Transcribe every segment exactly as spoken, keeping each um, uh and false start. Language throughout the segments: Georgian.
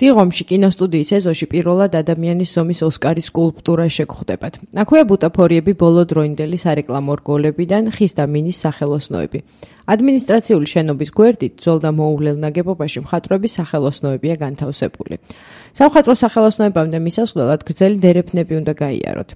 დიღომში კინოსტუდიის ეზოში პირველად ადამიანის ზომის ოსკარის სკულპტურა შეგხვდებათ. აქვეა ბუტაფორიები ბოლო დროინდელი სარეკლამო რგოლებიდან ხის და მინის სახელოსნოები. ადმინისტრაციული შენობის გვერდით ძველ და მოუვლელ ნაგებობაში მხატვრების სახელოსნოებია განთავსებული. სამხატვრო სახელოსნოებამდე მისასვლელად გრძელი დერეფნები უნდა გაიაროთ.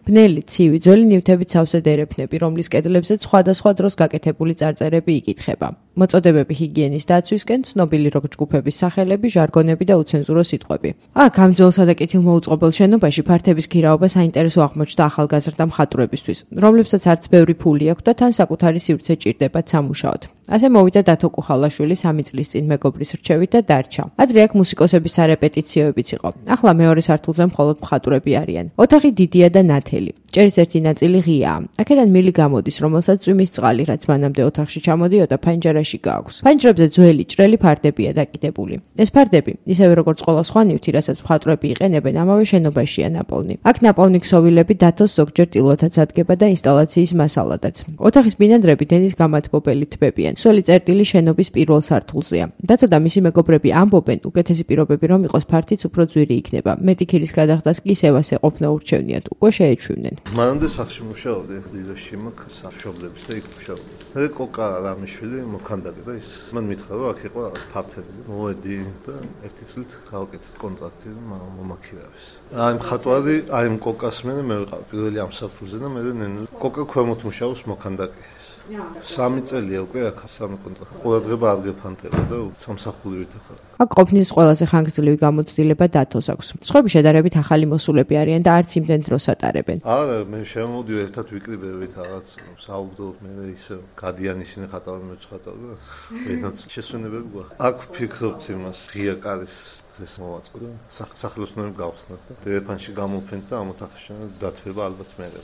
ბნელი, ცივი, ძველი ნივთებით სავსე დერეფნები, რომლის კედლებზეც სხვადასხვა დროს გაკეთებული წარწერები იკითხება. მოწოდებები ჰიგიენის დაცვისკენ, ცნობილი როკ ჯგუფების სახელები, ჟარგონები და უცენზურო სიტყვები. აქ ამ ძველსა და კეთილმოუწყობელ შენობაში ფართების ქირაობა საინტერესო აღმოჩნდა ახალგაზრდა მხატვრებისთვის, რომლებსაც არც ბევრი ფული აქვთ და თან საკუთარი სივრცე ჭირდებათ სამუშაოდ. ასე მოვიდა დათო კუხალაშვილი სამი წლის წინ მეგობრის რჩევით და დარჩა. ადრე აქ მუსიკოსების სარეპეტიციოებიც იყო. ახლა მეორე სართულზე მხოლოდ მხატვრები არიან. ოთახი დიდია და ნათელი. ჭერის ერთი ნაწილი ღიაა. აქედან მილი გამოდის, რომელსაც წვიმის წყალი, რაც მანამდე ოთახში ჩამოდიოდა, ფანჯარაში გააქვს. ფანჯრებზე ძველი ჭრელი ფარდებია დაკიდებული. ეს ფარდები, ისევე როგორც ყველა სხვა ნივთი, რასაც მხატვრები იყენებენ, ამავე შენობაშია ნაპოვნი. აქ ნაპოვნი ქსოვილები დათოს ზოგჯერ ტილოთაც ადგება და ინსტალაციის მასალადაც. ოთახის ბინადრები დენის გამათბობელი თბებიან. სველი წერტილი შენობის პირველ სართულზეა. დათო და მისი მეგობრები ამბობენ, უკეთესი პირობები რომ იყოს, ფართიც უფრო ძვირი იქნება. მეტი ქირის გადახდას კი ისევ ასე ყოფნა ურჩევნიათ, უკვე შეეჩვივნენ. მანამდე სახში მუშაობდი, დილოში მაქვს სამშობლებს და იქ მუშაობდი. მე კოკა რამიშვილი მოქანდაკე და ის მან მითხრა, რომ აქ იყო რაღაც ფართები. მოვედი და ერთი წლით გავაკეთეთ კონტრაქტი და მომაქირავეს. აი მხატვარი, აი კოკას მე მე ვიყავ პირველი ამ საფუძზე და მე ნენე კოკა ქვემოთ მუშაობს მოქანდაკე. სამი წელია უკვე აქ სამი კონტრაქტი. ყურადღება არ გეფანტება და სამსახურით ახლა. აქ ყოფნის ყველაზე ხანგრძლივი გამოცდილება დათოს აქვს. სხვები შედარებით ახალი მოსულები არიან და არც იმდენ დროს ატარებენ. არა, მე შემოვიდივ ერთად ვიკრიბებით რაღაც საუბრობ მე ისე გადიან ისინი ხატავენ მე ხატავ და ერთად შესვენებები გვაქვს. აქ ვფიქრობთ იმას, ღია კარის დღეს მოვაწყო და სახელოსნოები გავხსნათ და ტელეფონში გამოვფენთ და ამ ოთახში დათბება ალბათ მერე.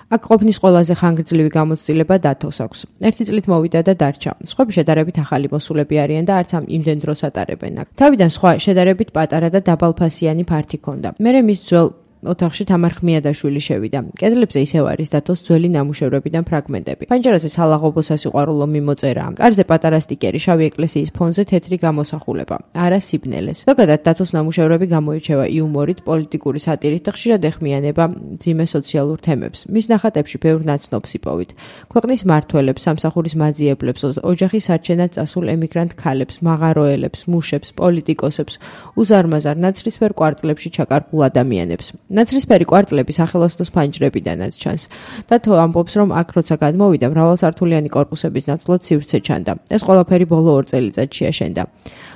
აქ ყოფნის ყველაზე ხანგრძლივი გამოცდილება დათოს აქვს. ერთი წლით მოვიდა და დარჩა. სხვები შედარებით ახალი მოსულები არიან და არც ამ იმდენ დროს ატარებენ აქ. თავიდან სხვა შედარებით პატარა და დაბალფასიანი ფართი ჰქონდა. მერე მის ძველ ოთახში თამარ ხმიადაშვილი შევიდა. კედლებზე ისევ არის დათოს ძველი ნამუშევრებიდან ფრაგმენტები. ფანჯარაზე სალაღობო სასიყვარულო მიმოწერაა. კარზე პატარა სტიკერი შავი ეკლესიის ფონზე თეთრი გამოსახულება. არა სიბნელეს. ზოგადად დათოს ნამუშევრები გამოირჩევა იუმორით, პოლიტიკური სატირით და ხშირად ეხმიანება მძიმე სოციალურ თემებს. მის ნახატებში ბევრ ნაცნობს იპოვით. ქვეყნის მმართველებს, სამსახურის მაძიებლებს, ოჯახის არჩენად წასულ ემიგრანტ ქალებს, მაღაროელებს, მუშებს, პოლიტიკოსებს, უზარმაზარ ნაცრისფერ კვარტლებში ჩაკარგულ ადამიანებს. ნაცრისფერი კვარტლები სახელოსნოს ფანჯრებიდანაც ჩანს. დათო ამბობს, რომ აქ როცა გადმოვიდა, მრავალსართულიანი კორპუსების ნაცვლად სივრცე ჩანდა. ეს ყველაფერი ბოლო ორ წელიწადში აშენდა.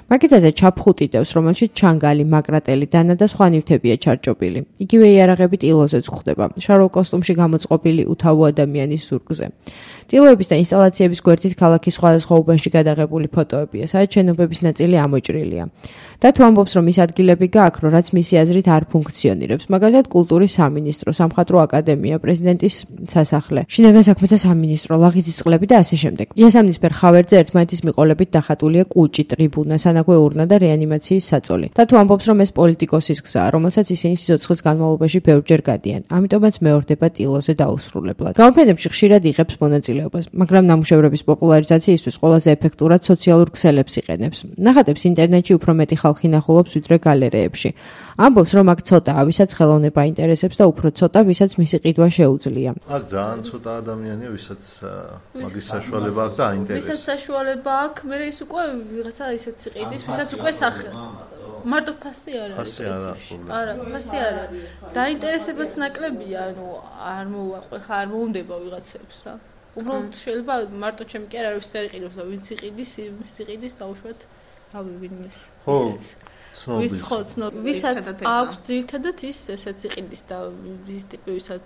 მაგიდაზე ჩაფხუტი დევს, რომელშიც ჩანგალი, მაკრატელი, დანა და სხვა ნივთებია ჩარჭობილი. იგივე იარაღები ტილოზეც გვხვდება, შარულ კოსტუმში გამოწყობილი უთავო ადამიანის ზურგზე. ტილოების და ინსტალაციების გვერდით ქალაქის სხვადასხვა უბანში გადაღებული ფოტოებია, სადაც შენობების ნაწილი ამოჭრილია. დათო ამბობს, რომ ის ადგილები გააქრო, რაც მისი აზრით არ ფუნქციონირებს, მაგალითად კულტურის სამინისტრო, სამხატვრო აკადემია, პრეზიდენტის სასახლე, შინაგან საქმეთა სამინისტრო, ლაღიძის წყლები და ასე შემდეგ. იასამნისფერ ხავერდზე ერთმანეთის მიყოლებით დახატულია კუჭი, ტრიბუნა, სანაგვე ურნა და რეანიმაციის საწოლი. დათო ამბობს, რომ ეს პოლიტიკოსის გზაა, რომელსაც ისინი სიცოცხლის განმავლობაში ბევრჯერ გადიან. ამიტომაც მეორდება ტილოზე დაუსრულებლად. გამოფენებში ხშირად იღებს მონაწილეობას, მაგრამ ნამუშევრების პოპულარიზაციისთვის ყველაზე ეფექტურად სოციალურ ქსელებს იყენებს. ნახატებს ინტერნეტში უფრო მეტი ხალხი ნახულობს ვიდრე გალერეებში. ამბობს, რომ აქ ცოტაა, ვისაც ხელოვნება ინტერესებს და უფრო ცოტა, ვისაც მისი ყიდვა შეუძლია. აქ ძალიან ცოტა ადამიანია, ვისაც მაგის საშუალება აქვს და აინტერესებს. ვისაც საშუალება აქვს, მე ის უკვე ვიღაცა ისეთ სიყიდის, ვისაც უკვე სახე მარტო ფასი არ არის. ფასი არ არის. არა, ფასი არ არის. დაინტერესებაც ნაკლებია, ანუ არ მოვაყვე, ხა არ მოუნდება ვიღაცებს რა. უბრალოდ შეიძლება მარტო ჩემი კი არ არის არ იყიდოს და ვინც იყიდის, ვინც იყიდის დაუშვათ რავი ვინმეს. ისეც ვის ხო ცნობ ვისაც აქვს ძირითადად ის ესეც იყიდის და ის ტიპი ვისაც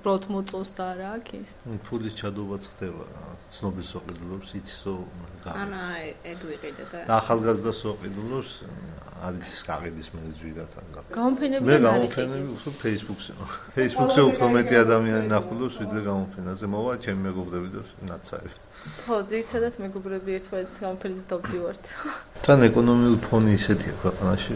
ბროთ მოწონს და რა აქ ის ფულის ჩადობაც ხდება ცნობის ოყიდულობს იცისო ანა ეგ ვიყიდე და და ახალგაზრდას ოყიდულობს არის გაყიდის მე ძვირად ან გამოფენები მე გამოფენები უფრო Facebook-ზე Facebook-ზე უფრო მეტი ადამიანი ნახულობს ვიდრე გამოფენაზე მოვა ჩემი მეგობრები და ნაცარი ხო ძირითადად მეგობრები ერთმანეთს გამოფენებზე დავდივართ თან ეკონომიკური ფონი ისეთია ქვეყანაში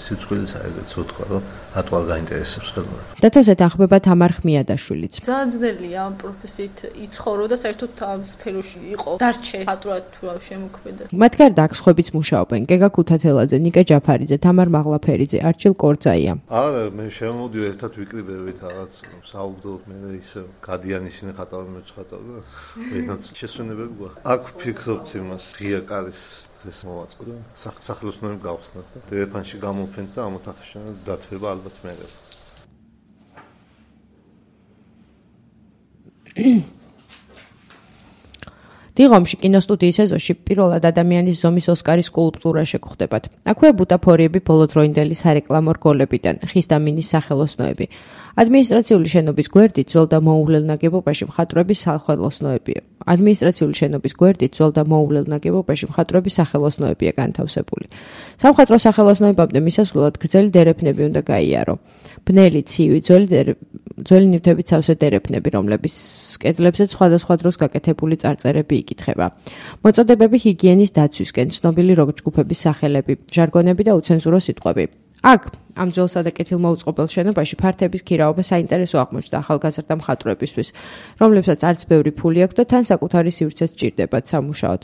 სიცოცხლეც აიგეთ სოთქვა რომ ატვალ გაინტერესებს ხოლმე. დათოს ეთანხმება თამარ ხმიადაშვილიც. ძალიან ძნელია ამ პროფესიით იცხოვრო და საერთოდ ამ სფეროში იყო. დარჩე ატვრად თუ რა შემოქმედა. მათ გარდა აქ სხვებიც მუშაობენ. გეგა ქუთათელაძე, ნიკა ჯაფარიძე, თამარ მაღლაფერიძე, არჩილ კორძაია. არა, მე შემოვიდივ ერთად ვიკრიბებით რაღაც საუბრობ მე ისე გადიან ისინი ხატავენ მეც ხატავ და ვინაც შესვენებები გვაქვს. აქ ვფიქრობთ იმას ღია კარის ეს მოვაწყდა სახელოსნოები გავხსნათ და ტელეფონში გამოვფენთ და ამ ოთახში დათვება ალბათ მეერებ. დიღომში კინოსტუდიის ეზოში პირველად ადამიანის ზომის ოსკარის სკულპტურა შეგხვდებათ. აქვეა ბუტაფორიები ბოლოდროინდელი სარეკლამო რგოლებიდან, ხის და მინის სახელოსნოები. ადმინისტრაციული შენობის გვერდით ძველ და მოუვლელ ნაგებობაში მხატვრების სახელოსნოებია. ადმინისტრაციული შენობის გვერდით ძველ და მოუვლელ ნაგებობაში მხატვრების სახელოსნოებია განთავსებული. სამხატვრო სახელოსნოებამდე მისასვლელად გრძელი დერეფნები უნდა გაიარო. ბნელი, ცივი, ძველი ძველი ნივთებით სავსე დერეფნები, რომლების კედლებზეც სხვადასხვა დროს გაკეთებული წარწერები იკითხება. მოწოდებები ჰიგიენის დაცვისკენ, ცნობილი როკ ჯგუფების სახელები, ჟარგონები და უცენზურო სიტყვები. აქ ამ ძველსა და კეთილმოუწყობელ შენობაში ფართების ქირაობა საინტერესო აღმოჩნდა ახალგაზრდა მხატვრებისთვის, რომლებსაც არც ბევრი ფული აქვს და თან საკუთარი სივრცეც სჭირდებათ სამუშაოდ.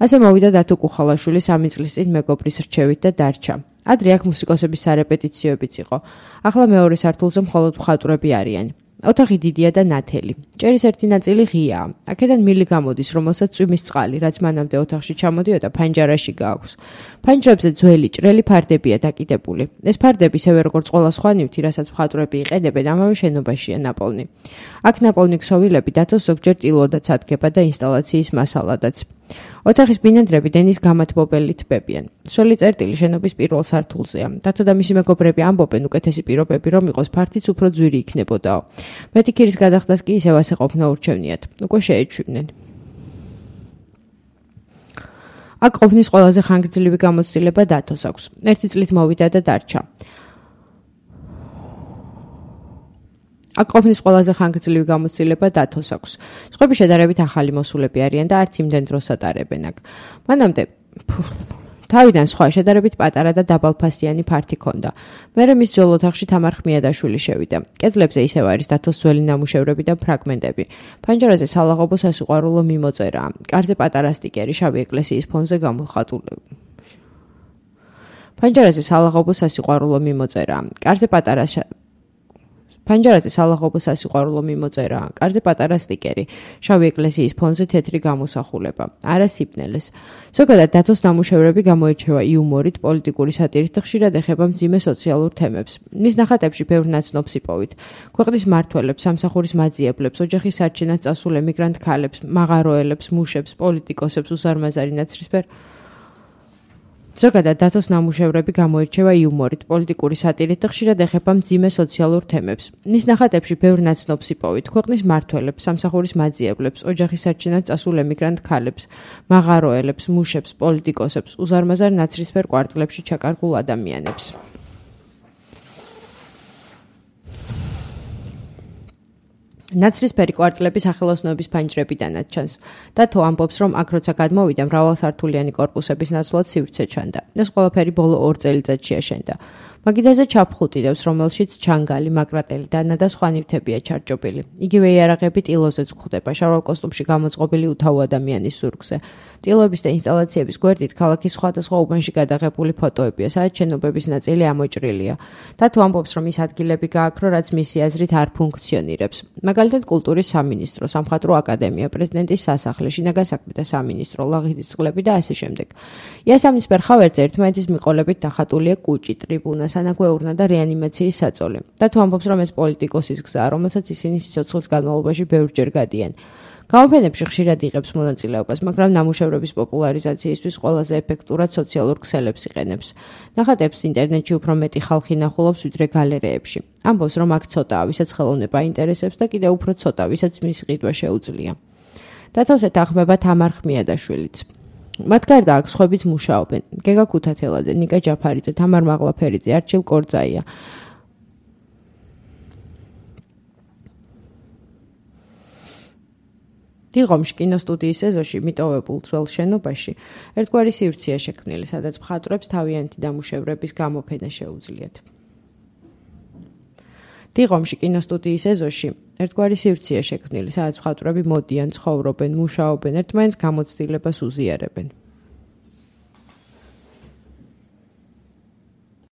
ასე მოვიდა დათო კუხალაშვილი სამი წლის წინ მეგობრის რჩევით და დარჩა. ადრე აქ მუსიკოსების სარეპეტიციოებიც იყო. ახლა მეორე სართულზე მხოლოდ მხატვრები არიან. ოთახი დიდია და ნათელი. ჭერის ერთი ნაწილი ღიაა. აქედან მილი გამოდის, რომელსაც წვიმის წყალი, რაც მანამდე ოთახში ჩამოდიოდა, ფანჯარაში გააქვს. ფანჯრებზე ძველი ჭრელი ფარდებია დაკიდებული. ეს ფარდები ისევე როგორც ყველა სხვა ნივთი, რასაც მხატვრები იყენებენ, ამავე შენობაშია ნაპოვნი. აქ ნაპოვნი ქსოვილები დათოს ზოგჯერ ტილოდაც ადგება და ინსტალაციის მასალადაც. ოთახის ბინადრები დენის გამათბობელი თბებიან. სველი წერტილი შენობის პირველ სართულზეა. დათო და მისი მეგობრები ამბობენ, უკეთესი პირობები რომ იყოს, ფართიც უფრო ძვირი იქნებოდაო. მეტი ქირის გადახდას კი ისევ ასე ყოფნა ურჩევნიათ. უკვე შეეჩვივნენ. აქ ყოფნის ყველაზე ხანგრძლივი გამოცდილება დათოს აქვს. ერთი წლით მოვიდა და დარჩა. აქ ყოფნის ყველაზე ხანგრძლივი გამოცდილება დათოს აქვს. სხვები შედარებით ახალი მოსულები არიან და არც იმდენ დროს ატარებენ აქ. მანამდე თავიდან სხვა შედარებით პატარა და დაბალფასიანი ფართი ჰქონდა. მერე მის ძველ ოთახში თამარ ხმიადაშვილი შევიდა. კედლებზე ისევ არის დათოს ძველი ნამუშევრები და ფრაგმენტები. ფანჯარაზე სალაღობო სასიყვარულო მიმოწერაა. კარზე პატარა სტიკერი შავი ეკლესიის ფონზე გამოხატული. ფანჯარაზე სალაღობო სასიყვარულო მიმოწერაა. კარზე პატარა ფანჯარაზე სალაღობო სასიყვარულო მიმოწერაა. კარზე პატარა სტიკერი. შავი ეკლესიის ფონზე თეთრი გამოსახულება. არა სიბნელეს. ზოგადად დათოს ნამუშევრები გამოირჩევა იუმორით, პოლიტიკური სატირით და ხშირად ეხება მძიმე სოციალურ თემებს. მის ნახატებში ბევრ ნაცნობ სიპოვით. ქვეყნის მმართველებს, სამსახურის მაძიებლებს, ოჯახის სარჩენად წასულ ემიგრანტ ქალებს, მაღაროელებს, მუშებს, პოლიტიკოსებს, უზარმაზარი ნაცრისფერ ზოგადად დათოს ნამუშევრები გამოირჩევა იუმორით, პოლიტიკური სატირით და ხშირად ეხება მძიმე სოციალურ თემებს. მის ნახატებში ბევრ ნაცნობ სიპოვით. ქვეყნის მმართველებს, სამსახურის მაძიებლებს, ოჯახის სარჩენად წასულ ემიგრანტ ქალებს, მაღაროელებს, მუშებს, პოლიტიკოსებს, უზარმაზარ ნაცრისფერ კვარტლებში ჩაკარგულ ადამიანებს. ნაცრისფერი კვარტლების სახელოსნოების ფანჯრებიდანაც ჩანს. დათო ამბობს, რომ აქ როცა გადმოვიდა, მრავალსართულიანი კორპუსების ნაცვლად სივრცე ჩანდა. ეს ყველაფერი ბოლო ორ წელიწადში აშენდა. მაგიდაზე ჩაფხუტი დევს, რომელშიც ჩანგალი, მაკრატელი, დანა და სხვა ნივთებია ჩარჭობილი. იგივე იარაღები ტილოზეც გვხვდება, შარვალ კოსტუმში გამოწყობილი უთავო ადამიანის ზურგზე. ტილოების და ინსტალაციების გვერდით ქალაქის სხვადასხვა უბანში გადაღებული ფოტოებია, სადაც შენობების ნაწილი ამოჭრილია. დათო ამბობს, რომ ის ადგილები გააქრო, რაც მისი აზრით არ ფუნქციონირებს. მაგალითად, კულტურის სამინისტრო, სამხატვრო აკადემია, პრეზიდენტის სასახლე, შინაგან საქმეთა სამინისტრო, ლაღიძის წყლები და ასე შემდეგ. იასამნისფერ ხავერდზე ერთმანეთის მიყოლებით დახატულია კუჭი, ტრიბუნა, სანაგვეურნა და რეანიმაციის საწოლი. დათო ამბობს, რომ ეს პოლიტიკოსის გზაა, რომელსაც ისინი სიცოცხლის განმავლობაში ბევრჯერ გადიან. გამოფენებში ხშირად იღებს მონაწილეობას, მაგრამ ნამუშევრების პოპულარიზაციისთვის ყველაზე ეფექტურად სოციალურ ქსელებს იყენებს. ნახატებს ინტერნეტში უფრო მეტი ხალხი ნახულობს, ვიდრე გალერეებში. ამბობს, რომ აქ ცოტაა, ვისაც ხელოვნება აინტერესებს და კიდევ უფრო ცოტა, ვისაც მის ყიდვა შეუძლია. დათოს ეთანხმება თამარ ხმიადაშვილიც. მათ გარდა აქ სხვებიც მუშაობენ. გეგა ქუთათელაძე, ნიკა ჯაფარიძე, თამარ მაღლაფერიძე, არჩილ კორძაია. დიღომში კინოსტუდიის ეზოში მიტოვებულ ძველ შენობაში ერთგვარი სივრცეა შექმნილი, სადაც მხატვრებს თავიანთი დამუშევრების გამოფენა შეუძლიათ. დიღომში კინოსტუდიის ეზოში ერთგვარი სივრცეა შექმნილი, სადაც მხატვრები მოდიან, ცხოვრობენ, მუშაობენ, ერთმანეთს გამოცდილებას უზიარებენ.